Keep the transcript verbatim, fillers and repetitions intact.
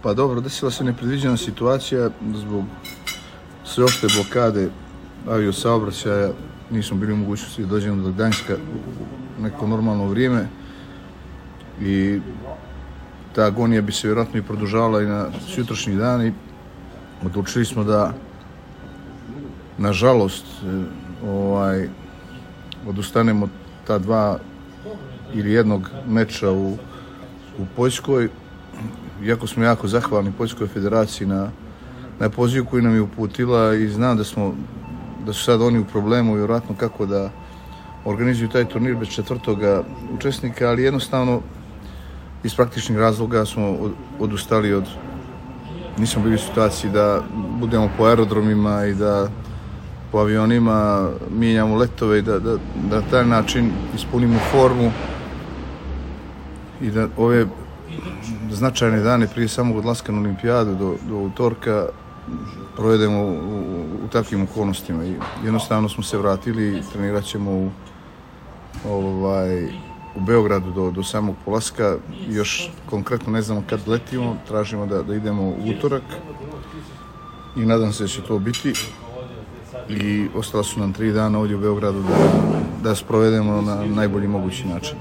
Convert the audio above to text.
Pa dobro, desila se nepredviđena situacija zbog sveopšte blokade aviosaobraćaja. Nismo bili u mogućnosti da dođemo do Gdanjska u neko normalno vrijeme i ta agonija bi se vjerojatno i produžavala i na sutrašnji dan i odlučili smo da, nažalost, ovaj, odustanemo od ta dva ili jednog meča u, u Poljskoj. Iako smo jako zahvalni Poljskoj federaciji na, na pozivu koji nam je uputila i znam da, smo, da su sad oni u problemu vjerojatno kako da organizuju taj turnir bez četvrtoga učesnika, ali jednostavno iz praktičnih razloga smo odustali od, nismo bili u situaciji da budemo po aerodromima i da po avionima mijenjamo letove i da, da, da taj način ispunimo formu i da ove značajne dane prije samog odlaska na olimpijadu do, do utorka provedemo u, u, u takvim okolnostima i jednostavno smo se vratili i trenirat ćemo u, ovaj, u Beogradu do, do samog polaska. Još konkretno ne znamo kad letimo, tražimo da, da idemo u utorak i nadam se da će to biti i ostala su nam tri dana ovdje u Beogradu da, da sprovedemo na najbolji mogući način.